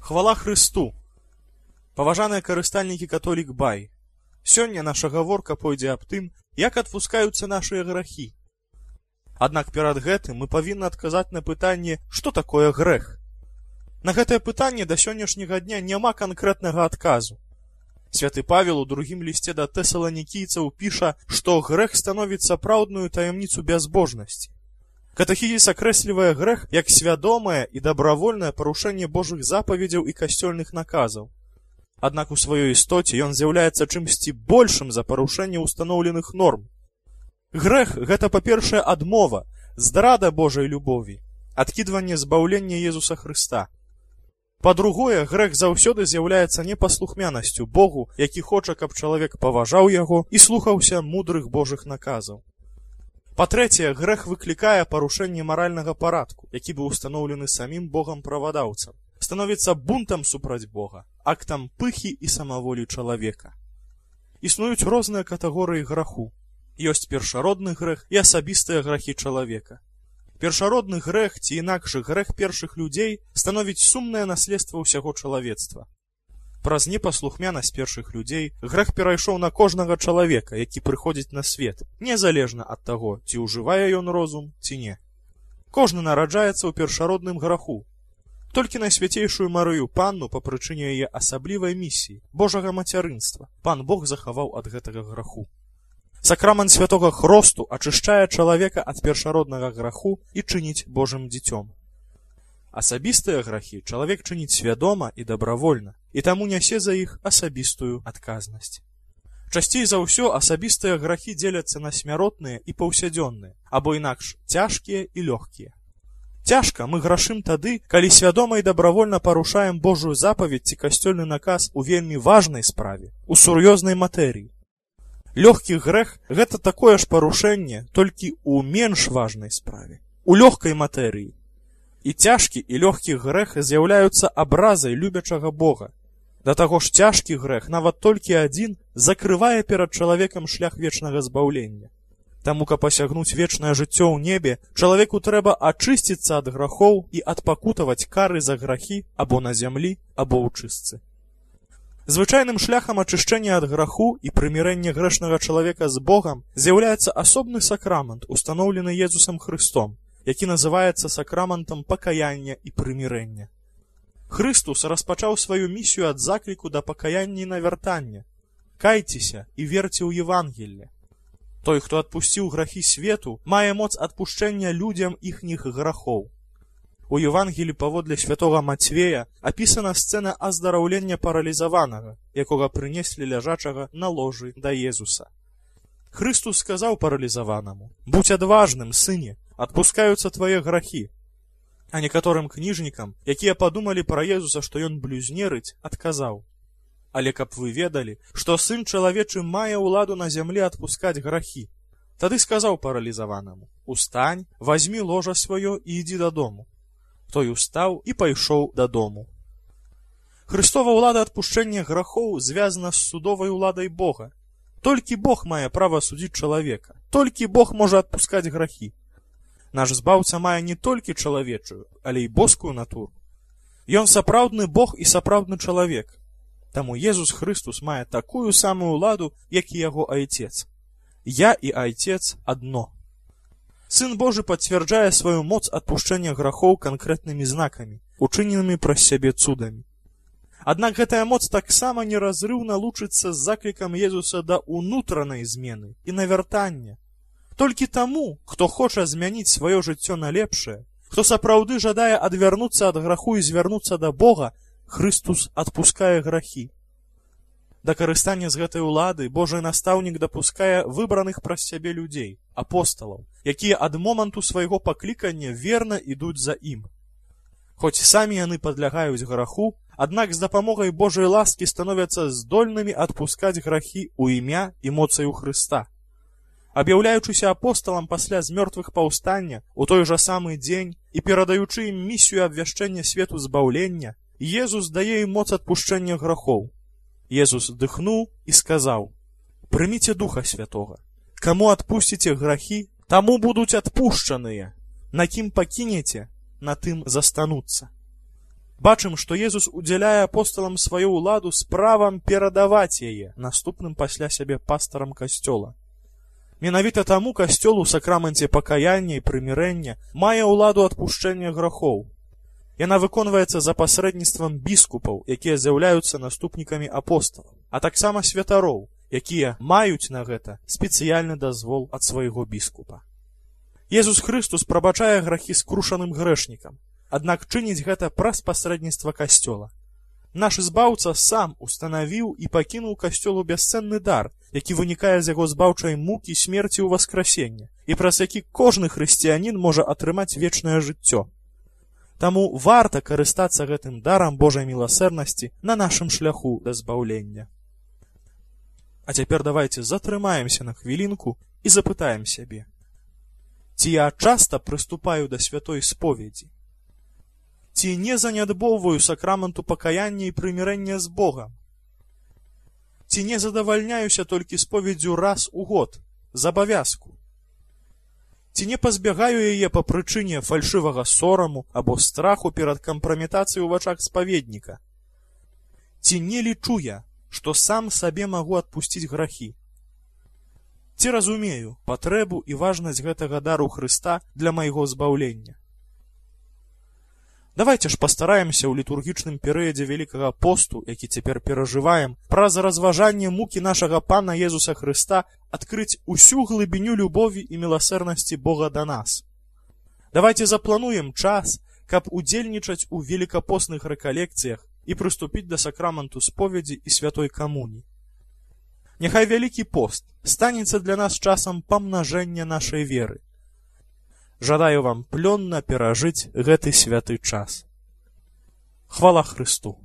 Хвала Хрысту! Паважаныя карыстальнікі католік бай! Сёння наша гаворка пойдзе аб тым, як адпускаюцца нашыя грахі. Аднак перад гэтым мы павінны адказаць на пытанне, што такое грэх. На гэтае пытанне да сённяшняга дня няма канкрэтнага адказу. Святы Павел у другім лісце да тэсаланікійцаў піша, што грэх становіць сапраўдную таямніцу бязбожнасці. Катэхізіс акрэслівае грэх як свядомае і дабравольнае парушэнне Божых запаведзяў і касцёльных наказаў. Аднак у сваёй істоце ён з'яўляецца чымсьці большым за парушэнне ўстаноўленых норм. Грэх – гэта, па-першае, адмова, здрада Божай любові, адкідванне збаўлення Езуса Хрыста. Па-другое, грэх заўсёды з'яўляецца непаслухмянасцю Богу, які хоча, каб чалавек паважаў яго і слухаўся мудрых Божых наказаў. Па-трэцяе, грэх выклікае парушэнне маральнага парадку, які быў устаноўлены самім Богам-правадаўцам, становіцца бунтам супраць Бога, актам пыхі і самаволі чалавека. Існуюць розныя катэгорыі граху. Ёсць першародны грэх і асабістыя грахі чалавека. Першародны грэх, ці інакш грэх першых людзей, становіць сумнае наследства ўсяго чалавецтва. Праз непаслухмянасць першых людзей грэх перайшоў на кожнага чалавека, які прыходзіць на свет, незалежна ад таго, ці ўжывае ён розум, ці не. Кожны нараджаецца ў першародным граху. Толькі найсвяцейшую Марыю Панну па прычыне яе асаблівай місіі, Божага мацярынства, Пан Бог захаваў ад гэтага граху. Сакрамент святога хросту ачышчае чалавека ад першароднага граху і чыніць Божым дзіцём. Асабістыя грахі чалавек чыніць свядома і дабравольна, і таму нясе за іх асабістую адказнасць. Часцей за ўсё асабістыя грахі дзеляцца на смяротныя і паўсядзённыя, або інакш цяжкія і лёгкія. Цяжка мы грашым тады, калі свядома і дабравольна парушаем Божую запаведь ці касцёльны наказ у вельмі важнай справе, у сур'ёзнай матэрыі. Лёгкі грэх – гэта такое ж парушэнне, толькі ў менш важнай справе, у лёгкай матэрыі. І цяжкі і лёгкі грэх з'яўляюцца абразай любячага Бога. Да таго ж цяжкі грэх, нават толькі адзін, закрывае перад чалавекам шлях вечнага збаўлення. Таму, каб асягнуць вечнае жыццё ў небе, чалавеку трэба ачысціцца ад грахоў і адпакутаваць кары за грахі або на зямлі, або ў чыстцы. Звычайным шляхам ачышчэння ад граху і прымірэння грэшнага чалавека з Богам з'яўляецца асобны сакрамент, устаноўлены Езусам Хрыстом, які называецца сакраментам пакаяння і прымірэння. Хрыстус распачаў сваю місію ад закліку да пакаяння і навяртання. Кайцеся і верце ў Евангелле. Той, хто адпусціў грахі свету, мае моц адпушчэння людзям іхніх грахоў. У Евангелі паводле святога Мацвея апісана сцэна аздараўлення паралізаванага, якога прынеслі ляжачага на ложы да Езуса. Хрыстус сказаў паралізаванаму: «Будзь адважным, сыне, адпускаюцца твае грахі». А некаторым кніжнікам, якія падумалі пра Езуса, што ён блюзнерыць, адказаў: «Але каб вы ведалі, што сын чалавечы мае ўладу на зямлі адпускаць грахі». Тады сказаў паралізаванаму: «Устань, вазьмі ложа сваё і ідзі дадому». Той устаў і пайшоў дадому. Хрыстова ўлада адпушчэння грахоў звязана з судовай уладай Бога. Толькі Бог мае права судзіць чалавека, толькі Бог можа адпускаць грахі. Наш збаўца мае не толькі чалавечую, але і боскую натуру. Ён сапраўдны Бог і сапраўдны чалавек. Таму Езус Хрыстус мае такую самую ўладу, як і яго айцец. Я і айцец адно. Сын Божы пацвярджае сваю моц адпушчэння грахоў канкрэтнымі знакамі, учыненымі праз сябе цудамі. Аднак гэтая моц таксама неразрыўна лучыцца з заклікам Езуса да ўнутранай змены і навяртання. Толькі таму, хто хоча змяніць сваё жыццё на лепшае, хто сапраўды жадае адвярнуцца ад граху і звярнуцца да Бога, Хрыстус адпускае грахі. Да карыстання з гэтай улады Божы настаўнік дапускае выбраных праз сябе людзей, апосталаў, якія ад моманту свайго паклікання верна ідуць за ім. Хоць самі яны падлягаюць граху, аднак з дапамогай Божай ласкі становяцца здольнымі адпускаць грахі ў імя і моцаю Хрыста. Аб'яўляючыся апосталам пасля з мёртвых паўстання у той жа самы дзень і перадаючы ім місію абвяшчэння свету збаўлення, Езус дае ім моц адпушчэння грахоў. Езус дыхнуў і сказаў: «Прыміце Духа Святога. Каму адпусціце грахі, таму будуць адпушчаныя. На кім пакінеце, на тым застануцца». Бачым, што Езус удзяляе апосталам сваю ўладу з правам перадаваць яе наступным пасля сябе пастарам касцёла. Менавіта таму касцёл у сакраменце пакаяння і прымірэння мае ўладу адпушчэння грахоў. Яна выконваецца за пасрэдніцтвам біскупаў, якія з'яўляюцца наступнікамі апосталаў, а таксама святароў, якія маюць на гэта спецыяльны дазвол ад свайго біскупа. Езус Хрыстус прабачае грахі скрушаным грэшнікам, аднак чыніць гэта праз пасрэдніцтва касцёла. Наш збаўца сам устанавіў і пакінуў касцёлу бясцэнны дар, які вынікае з яго збаўчай мукі, смерці ў васкрасення, і праз які кожны хрысціянін можа атрымаць вечнае жыццё. Таму варта карыстацца гэтым дарам Божай міласэрнасці на нашым шляху да збаўлення. А цяпер давайце затрымаемся на хвілінку і запытаем сябе: ці я часта прыступаю да святой споведзі? Ці не занядбоўваю сакраменту пакаяння і прымірэння з Богам? Ці не задавальняюся толькі споведзю раз у год, з абавязку? Ці не пазбягаю яе па прычыне фальшывага сораму або страху перад кампраметацыяй у вачах спаведніка? Ці не лічу я, што сам сабе магу адпусціць грахі? Ці разумею патрэбу і важнасць гэтага дару Хрыста для майго збаўлення? Давайте ж пастараемся ў літургічным перыядзе Вялікага посту, які цяпер перажываем, праз разважанне мукі нашага Пана Езуса Хрыста адкрыць усю глыбіню любові і міласэрнасці Бога да нас. Давайте заплануем час, каб удзельнічаць у велікапостных рэкалекцыях і прыступіць да сакраменту споведзі і святой камуніі. Няхай Вялікі пост станецца для нас часам памнажэння нашай веры. Жадаю вам плённа перажыць гэты святы час. Хвала Хрысту!